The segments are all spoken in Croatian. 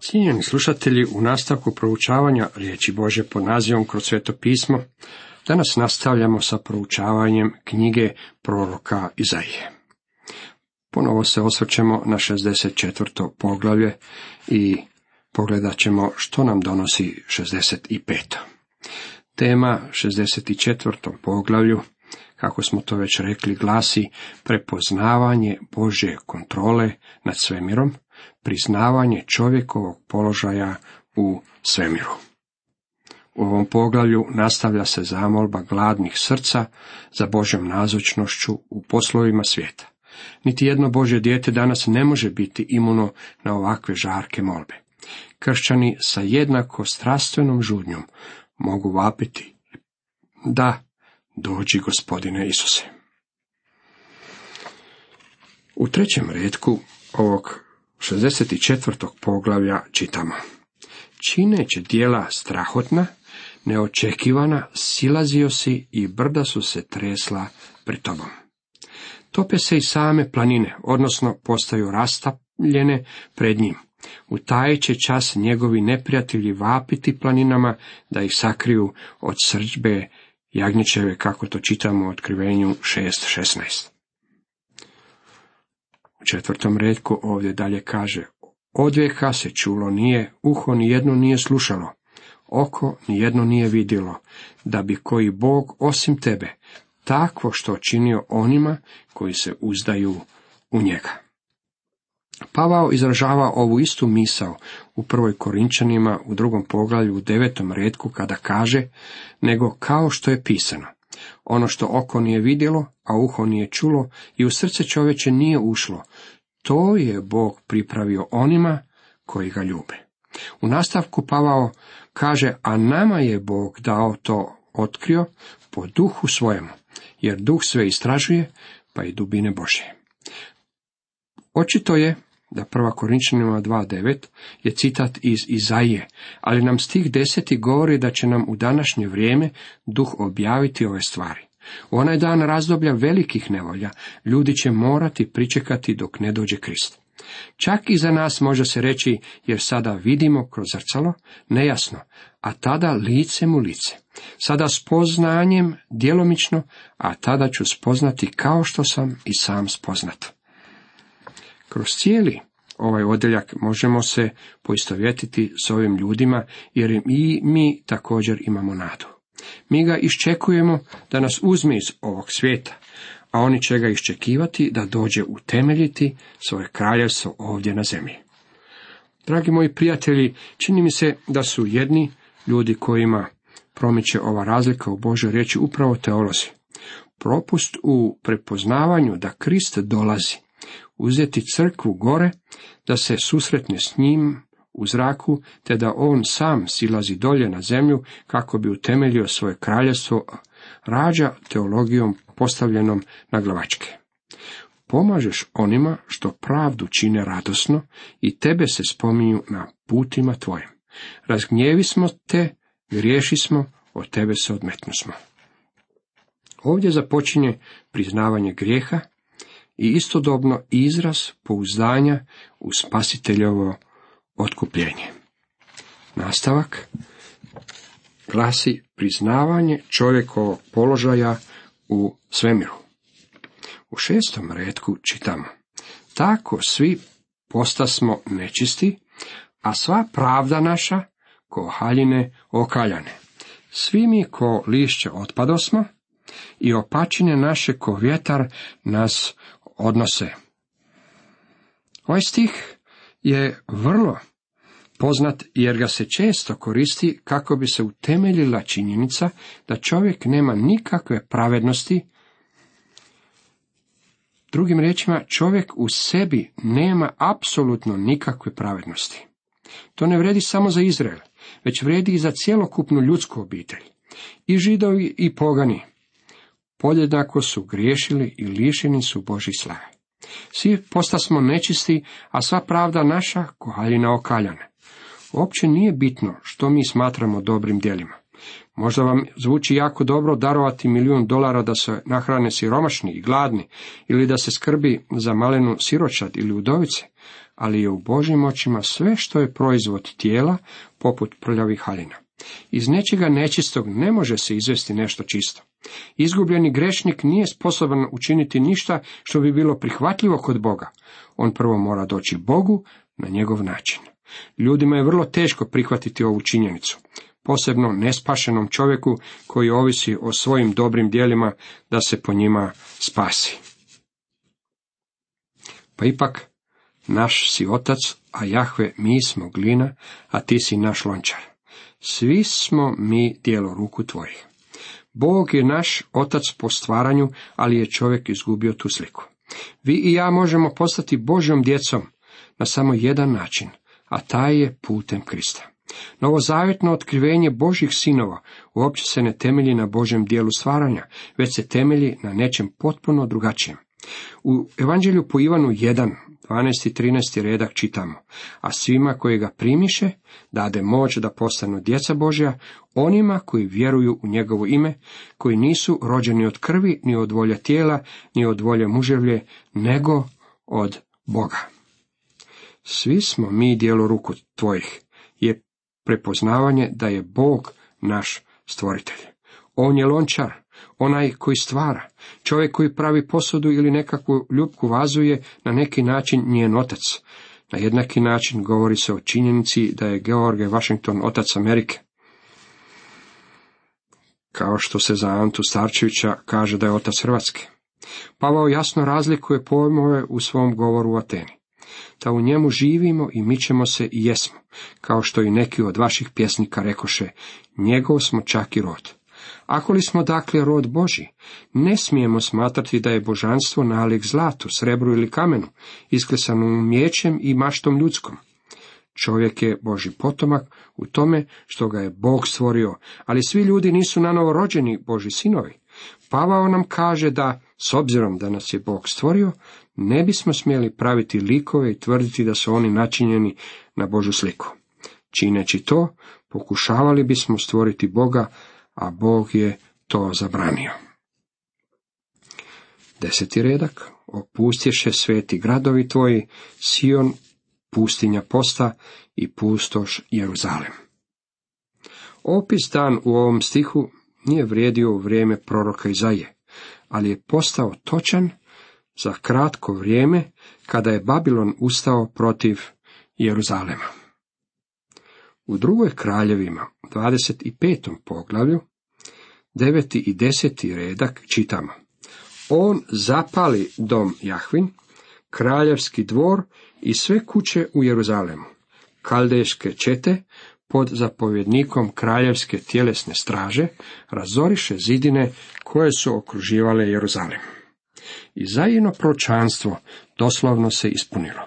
Cijenjeni slušatelji, u nastavku proučavanja riječi Božje pod nazivom Kroz sveto pismo, danas nastavljamo sa proučavanjem knjige proroka Izaije. Ponovo se osvrćemo na 64. poglavlje i pogledat ćemo što nam donosi 65. Tema 64. poglavlju, kako smo to već rekli, glasi prepoznavanje Božje kontrole nad svemirom, priznavanje čovjekovog položaja u svemiru. U ovom poglavlju nastavlja se zamolba gladnih srca za Božjom nazočnošću u poslovima svijeta. Niti jedno Božje dijete danas ne može biti imuno na ovakve žarke molbe. Kršćani sa jednako strastvenom žudnjom mogu vapiti: da, dođi Gospodine Isuse. U 3. retku ovog 64. poglavlja čitamo: čineći djela strahotna, neočekivana, silazio si i brda su se tresla pred tobom. Tope se i same planine, odnosno postaju rastavljene pred njim. U taj će čas njegovi neprijatelji vapiti planinama da ih sakriju od srdžbe jagnječeve, kako to čitamo u Otkrivenju 6.16. U 4. retku ovdje dalje kaže: odvijeka se čulo nije, uho nijedno nije slušalo, oko nijedno nije vidjelo, da bi koji Bog osim tebe takvo što činio onima koji se uzdaju u njega. Pavao izražava ovu istu misao u 1. Korinčanima u 2. poglavlju u 9. retku kada kaže: nego kao što je pisano, ono što oko nije vidjelo, a uho nije čulo i u srce čovječe nije ušlo, to je Bog pripravio onima koji ga ljube. U nastavku Pavao kaže: a nama je Bog dao to otkrio po duhu svojemu, jer duh sve istražuje, pa i dubine Božje. Očito je da 1. Korinčanima 2.9 je citat iz Izaije, ali nam stih 10. govori da će nam u današnje vrijeme duh objaviti ove stvari. U onaj dan razdoblja velikih nevolja ljudi će morati pričekati dok ne dođe Krist. Čak i za nas može se reći, jer sada vidimo kroz zrcalo, nejasno, a tada licem u lice. Sada spoznanjem djelomično, a tada ću spoznati kao što sam i sam spoznat. Kroz cijeli ovaj odjeljak možemo se poistovjetiti s ovim ljudima, jer i mi također imamo nadu. Mi ga iščekujemo da nas uzme iz ovog svijeta, a oni će ga iščekivati da dođe utemeljiti svoje kraljevstvo ovdje na zemlji. Dragi moji prijatelji, čini mi se da su jedni ljudi kojima promiče ova razlika u Božoj riječi upravo teolozi. Propust u prepoznavanju da Krist dolazi, uzeti crkvu gore, da se susretne s njim u zraku, te da on sam silazi dolje na zemlju kako bi utemeljio svoje kraljevstvo, rađa teologijom postavljenom na glavačke. Pomažeš onima što pravdu čine radosno i tebe se spominju na putima tvojim. Razgnjevi smo te, griješi smo, od tebe se odmetnusmo. Ovdje započinje priznavanje grijeha i istodobno izraz pouzdanja u Spasiteljovo otkupljenje. Nastavak glasi priznavanje čovjekovog položaja u svemiru. U 6. retku čitamo: tako svi postasmo nečisti, a sva pravda naša ko haljine okaljane. Svi mi ko lišće otpadosmo i opačine naše ko vjetar nas odnose. Ovaj stih je vrlo poznat jer ga se često koristi kako bi se utemeljila činjenica da čovjek nema nikakve pravednosti. Drugim riječima, čovjek u sebi nema apsolutno nikakve pravednosti. To ne vredi samo za Izrael, već vredi i za cjelokupnu ljudsku obitelj. I Židovi i pogani podjednako su griješili i lišeni su Božje slave. Svi postasmo nečisti, a sva pravda naša ko haljina okaljane. Uopće nije bitno što mi smatramo dobrim djelima. Možda vam zvuči jako dobro darovati $1.000.000 da se nahrane siromašni i gladni, ili da se skrbi za malenu siročad ili udovice, ali je u Božjim očima sve što je proizvod tijela, poput prljavih haljina. Iz nečega nečistog ne može se izvesti nešto čisto. Izgubljeni grešnik nije sposoban učiniti ništa što bi bilo prihvatljivo kod Boga. On prvo mora doći Bogu na njegov način. Ljudima je vrlo teško prihvatiti ovu činjenicu, posebno nespašenom čovjeku koji ovisi o svojim dobrim djelima da se po njima spasi. Pa ipak, naš si otac, a Jahve mi smo glina, a ti si naš lončar. Svi smo mi djelo ruku tvojih. Bog je naš otac po stvaranju, ali je čovjek izgubio tu sliku. Vi i ja možemo postati Božjom djecom na samo jedan način, a taj je putem Krista. Novozavjetno otkrivenje Božjih sinova uopće se ne temelji na Božjem dijelu stvaranja, već se temelji na nečem potpuno drugačijem. U Evanđelju po Ivanu 1, 12. i 13. redak čitamo: a svima koji ga primiše, dade moć da postanu djeca Božja, onima koji vjeruju u njegovo ime, koji nisu rođeni od krvi, ni od volje tijela, ni od volje muževlje, nego od Boga. Svi smo mi djelo ruku tvojih, je prepoznavanje da je Bog naš stvoritelj. On je lončar, onaj koji stvara. Čovjek koji pravi posudu ili nekakvu ljupku vazu je na neki način njen otac. Na jednaki način govori se o činjenici da je George Washington otac Amerike. Kao što se za Antu Starčevića kaže da je otac Hrvatske. Pavao jasno razlikuje pojmove u svom govoru u Ateni. Da u njemu živimo i mičemo se i jesmo, kao što i neki od vaših pjesnika rekoše, njegov smo čak i rod. Ako li smo dakle rod Božji, ne smijemo smatrati da je božanstvo nalik zlatu, srebru ili kamenu, isklesanu miječem i maštom ljudskom. Čovjek je Božji potomak u tome što ga je Bog stvorio, ali svi ljudi nisu nanovo rođeni Božji sinovi. Pavao nam kaže da, s obzirom da nas je Bog stvorio, ne bismo smjeli praviti likove i tvrditi da su oni načinjeni na Božju sliku. Čineći to, pokušavali bismo stvoriti Boga, a Bog je to zabranio. 10. redak. Opustješe sveti gradovi tvoji, Sion, pustinja posta i pustoš Jeruzalem. Opis dan u ovom stihu nije vrijedio u vrijeme proroka Izaije, ali je postao točan za kratko vrijeme kada je Babilon ustao protiv Jeruzalema. U drugoj kraljevima, 25. poglavlju, 9. i 10. redak čitamo: on zapali dom Jahvin, kraljevski dvor i sve kuće u Jeruzalemu. Kaldejske čete pod zapovjednikom kraljevske tjelesne straže razoriše zidine koje su okruživale Jeruzalem. Izajino proročanstvo doslovno se ispunilo.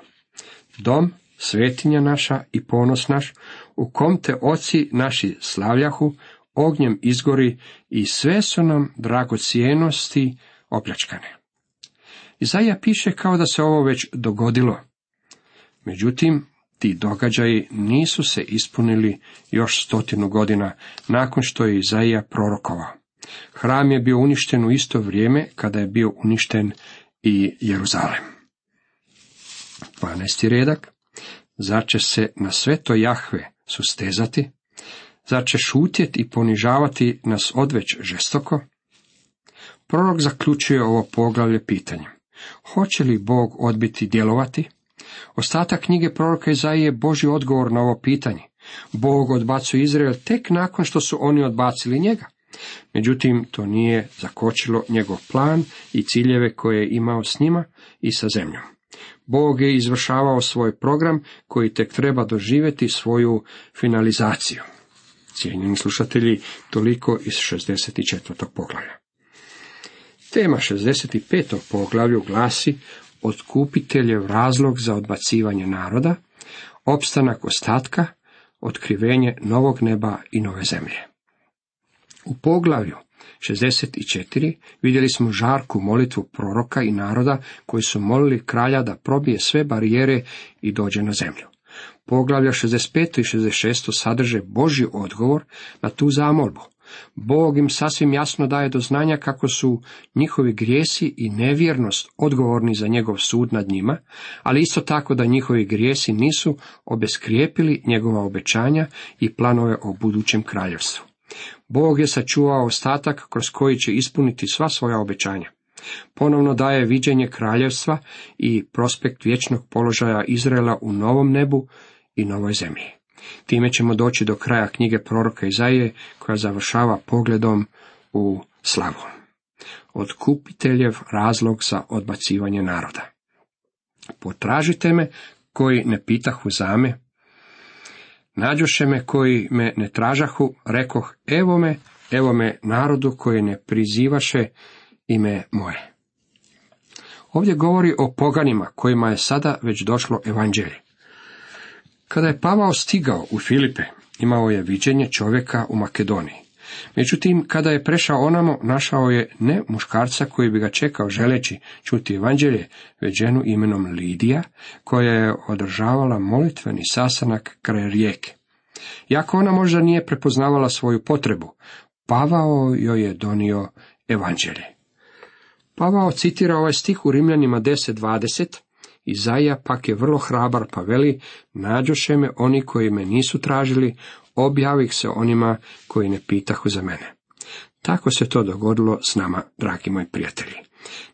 Dom, svetinja naša i ponos naš, u kom te oci naši slavljahu, ognjem izgori i sve su nam dragocjenosti opljačkane. Izaija piše kao da se ovo već dogodilo. Međutim, ti događaji nisu se ispunili još 100 godina nakon što je Izaija prorokovao. Hram je bio uništen u isto vrijeme kada je bio uništen i Jeruzalem. 12. redak. Zar će se na sve to Jahve sustezati? Zar će šutjeti i ponižavati nas odveć žestoko? Prorok zaključuje ovo poglavlje pitanjem: hoće li Bog odbiti djelovati? Ostatak knjige proroka Izaije je Božji odgovor na ovo pitanje. Bog odbacuje Izrael tek nakon što su oni odbacili njega. Međutim, to nije zakočilo njegov plan i ciljeve koje je imao s njima i sa zemljom. Bog je izvršavao svoj program koji tek treba doživjeti svoju finalizaciju. Cijenjeni slušatelji, toliko iz 64. poglavlja. Tema 65. poglavlju glasi: otkupiteljev razlog za odbacivanje naroda, opstanak ostatka, otkrivenje novog neba i nove zemlje. U poglavlju 64 vidjeli smo žarku molitvu proroka i naroda koji su molili kralja da probije sve barijere i dođe na zemlju. Poglavlja 65. i 66. sadrže Božji odgovor na tu zamolbu. Bog im sasvim jasno daje do znanja kako su njihovi grijesi i nevjernost odgovorni za njegov sud nad njima, ali isto tako da njihovi grijesi nisu obeskrijepili njegova obećanja i planove o budućem kraljevstvu. Bog je sačuvao ostatak kroz koji će ispuniti sva svoja obećanja. Ponovno daje viđenje kraljevstva i prospekt vječnog položaja Izraela u novom nebu i novoj zemlji. Time ćemo doći do kraja knjige proroka Izaije, koja završava pogledom u slavu. Otkupiteljev razlog za odbacivanje naroda. Potražite me koji ne pitahu za me, nađoše me koji me ne tražahu, rekoh evo me narodu koji ne prizivaše ime moje. Ovdje govori o poganima kojima je sada već došlo evanđelje. Kada je Pavao stigao u Filipe, imao je viđenje čovjeka u Makedoniji. Međutim, kada je prešao onamo, našao je ne muškarca koji bi ga čekao želeći čuti evanđelje, već ženu imenom Lidija, koja je održavala molitveni sastanak kraj rijeke. Iako ona možda nije prepoznavala svoju potrebu, Pavao joj je donio evanđelje. Pavao citira ovaj stih u Rimljanima 10:20, Izaija pak je vrlo hrabar pa veli, nađoše me oni koji me nisu tražili, objavih se onima koji ne pitahu za mene. Tako se to dogodilo s nama, dragi moji prijatelji.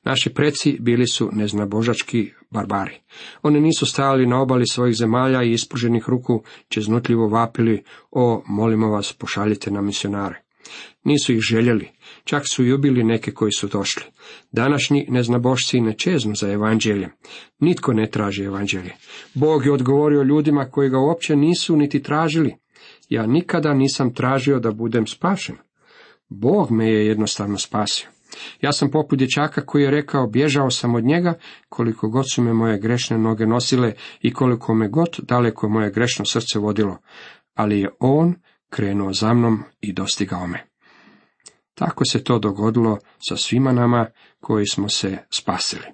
Naši preci bili su neznabožački barbari. Oni nisu stajali na obali svojih zemalja i ispruženih ruku čeznutljivo vapili, molimo vas, pošaljite nam misionare. Nisu ih željeli, čak su i ubili neke koji su došli. Današnji neznabošci ne čeznu za evanđeljem. Nitko ne traži evanđelje. Bog je odgovorio ljudima koji ga uopće nisu niti tražili. Ja nikada nisam tražio da budem spašen. Bog me je jednostavno spasio. Ja sam poput dječaka koji je rekao, bježao sam od njega, koliko god su me moje grešne noge nosile i koliko me god daleko moje grešno srce vodilo. Ali je on krenuo za mnom i dostigao me. Tako se to dogodilo sa svima nama koji smo se spasili.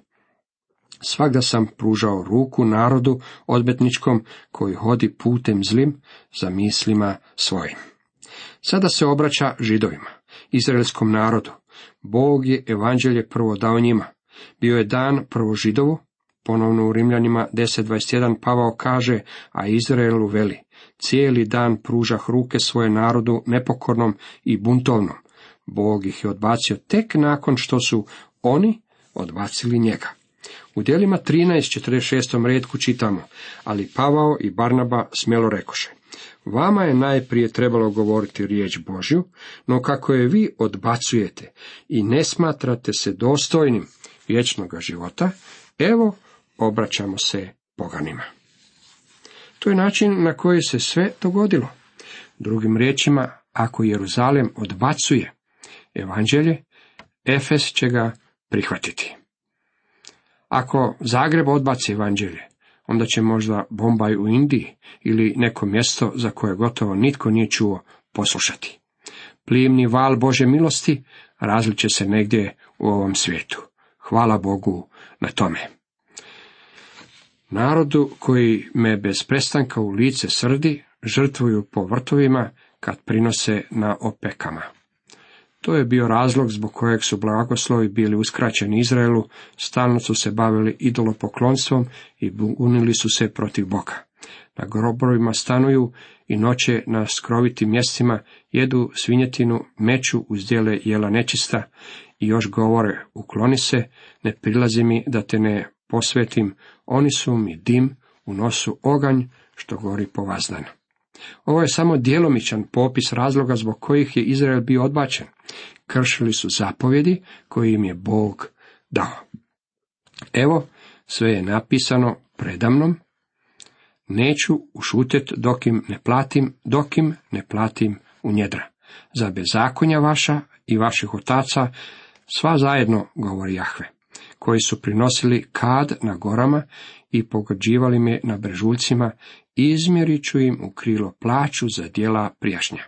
Svagda sam pružao ruku narodu odmetničkom koji hodi putem zlim za mislima svojim. Sada se obraća Židovima, izraelskom narodu. Bog je evanđelje prvo dao njima. Bio je dan prvo Židovu, ponovno u Rimljanima 10:21 Pavao kaže, a Izraelu veli, cijeli dan pružah ruke svoje narodu nepokornom i buntovnom. Bog ih je odbacio tek nakon što su oni odbacili njega. U djelima 13:46 retku čitamo, ali Pavao i Barnaba smjelo rekoše, vama je najprije trebalo govoriti riječ Božju, no kako je vi odbacujete i ne smatrate se dostojnim vječnoga života, evo obraćamo se poganima. To je način na koji se sve dogodilo. Drugim riječima, ako Jeruzalem odbacuje evanđelje, Efes će ga prihvatiti. Ako Zagreb odbaci evanđelje, onda će možda Bombaj u Indiji ili neko mjesto za koje gotovo nitko nije čuo poslušati. Plimni val Božje milosti različe se negdje u ovom svijetu. Hvala Bogu na tome. Narodu koji me bez prestanka u lice srdi, žrtvuju po vrtovima kad prinose na opekama. To je bio razlog zbog kojeg su blagoslovi bili uskraćeni Izraelu, stalno su se bavili idolopoklonstvom i bunili su se protiv Boga. Na grobovima stanuju i noće na skrovitim mjestima, jedu svinjetinu, meću uzdjele jela nečista i još govore, ukloni se, ne prilazi mi da te ne posvetim, oni su mi dim, u nosu oganj što gori po vazdan. Ovo je samo djelomičan popis razloga zbog kojih je Izrael bio odbačen. Kršili su zapovjedi koje im je Bog dao. Evo, sve je napisano predamnom. Neću ušutet dok im ne platim u njedra. Za bezakonja vaša i vaših otaca, sva zajedno, govori Jahve, koji su prinosili kad na gorama i pogađivali me na brežuljcima, izmjerit ću im u krilo plaću za djela prijašnja.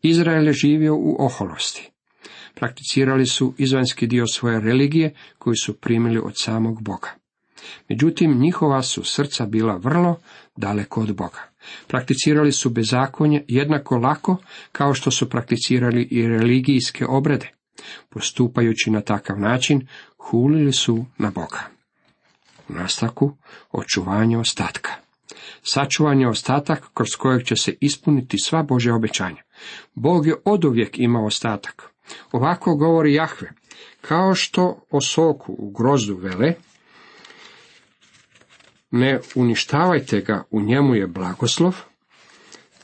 Izrael je živio u oholosti. Prakticirali su izvanjski dio svoje religije koju su primili od samog Boga. Međutim, njihova su srca bila vrlo daleko od Boga. Prakticirali su bezakonje jednako lako kao što su prakticirali i religijske obrede. Postupajući na takav način, hulili su na Boga. U nastavku, očuvanje ostatka. Sačuvan je ostatak kroz kojeg će se ispuniti sva Božja obećanja. Bog je oduvijek imao ostatak. Ovako govori Jahve, kao što o soku u grozdu vele, ne uništavajte ga, u njemu je blagoslov,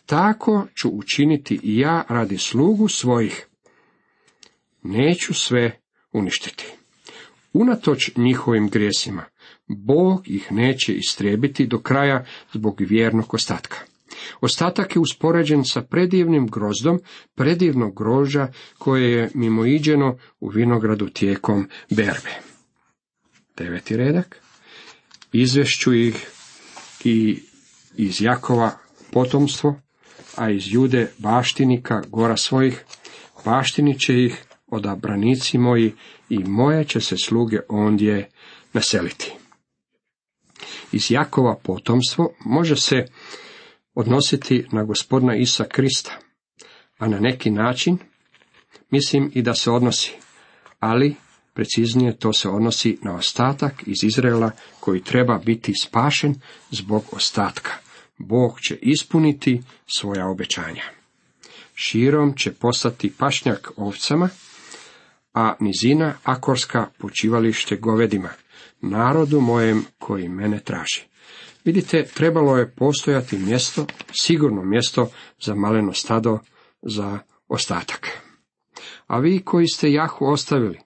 tako ću učiniti i ja radi slugu svojih. Neću sve uništiti. Unatoč njihovim grijesima, Bog ih neće istrijebiti do kraja zbog vjernog ostatka. Ostatak je uspoređen sa predivnim grozdom, predivnog grožđa koje je mimoiđeno u vinogradu tijekom berbe. 9. redak. Izvešću ih i iz Jakova potomstvo, a iz Jude baštinika gora svojih, baštinit će ih odabranici moji i moje će se sluge ondje naseliti. Iz Jakova potomstvo može se odnositi na Gospodina Isusa Krista, a na neki način mislim i da se odnosi, ali preciznije to se odnosi na ostatak iz Izraela koji treba biti spašen zbog ostatka. Bog će ispuniti svoja obećanja. Širom će postati pašnjak ovcama, a nizina akorska počivalište govedima, narodu mojem koji mene traži. Vidite, trebalo je postojati mjesto, sigurno mjesto za maleno stado, za ostatak. A vi koji ste Jahu ostavili,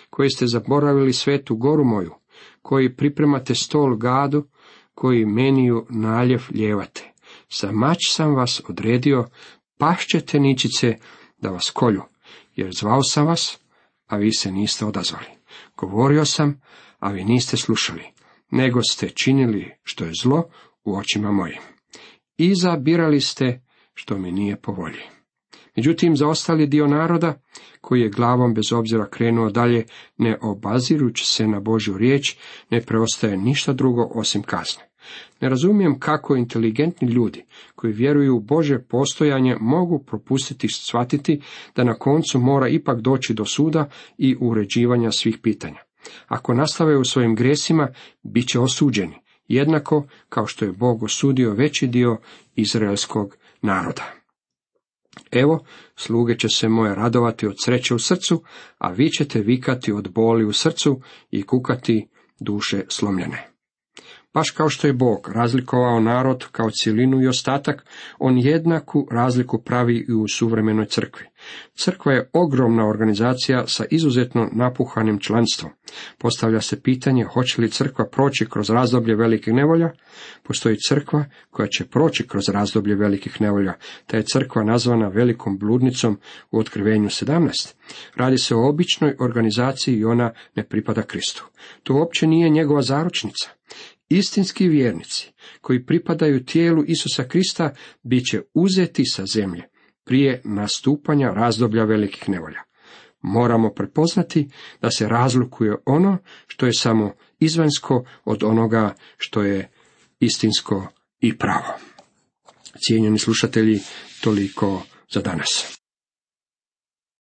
koji ste zaboravili svetu goru moju, koji pripremate stol gadu, koji meniju naljev ljevate, za mač sam vas odredio, pašćete ničice da vas kolju, jer zvao sam vas, a vi se niste odazvali. Govorio sam, a vi niste slušali, nego ste činili što je zlo u očima mojim. Izabirali ste što mi nije po volji. Međutim, za ostali dio naroda, koji je glavom bez obzira krenuo dalje, ne obazirući se na Božju riječ, ne preostaje ništa drugo osim kazne. Ne razumijem kako inteligentni ljudi, koji vjeruju u Božje postojanje, mogu propustiti shvatiti da na koncu mora ipak doći do suda i uređivanja svih pitanja. Ako nastave u svojim grijesima, bit će osuđeni, jednako kao što je Bog osudio veći dio izraelskog naroda. Evo, sluge će se moje radovati od sreće u srcu, a vi ćete vikati od boli u srcu i kukati duše slomljene. Baš kao što je Bog razlikovao narod kao cjelinu i ostatak, on jednaku razliku pravi i u suvremenoj crkvi. Crkva je ogromna organizacija sa izuzetno napuhanim članstvom. Postavlja se pitanje hoće li crkva proći kroz razdoblje velikih nevolja? Postoji crkva koja će proći kroz razdoblje velikih nevolja. Ta je crkva nazvana velikom bludnicom u Otkrivenju 17. Radi se o običnoj organizaciji i ona ne pripada Kristu. To uopće nije njegova zaručnica. Istinski vjernici koji pripadaju tijelu Isusa Krista bit će uzeti sa zemlje prije nastupanja razdoblja velikih nevolja. Moramo prepoznati da se razlikuje ono što je samo izvanjsko od onoga što je istinsko i pravo. Cijenjeni slušatelji, toliko za danas.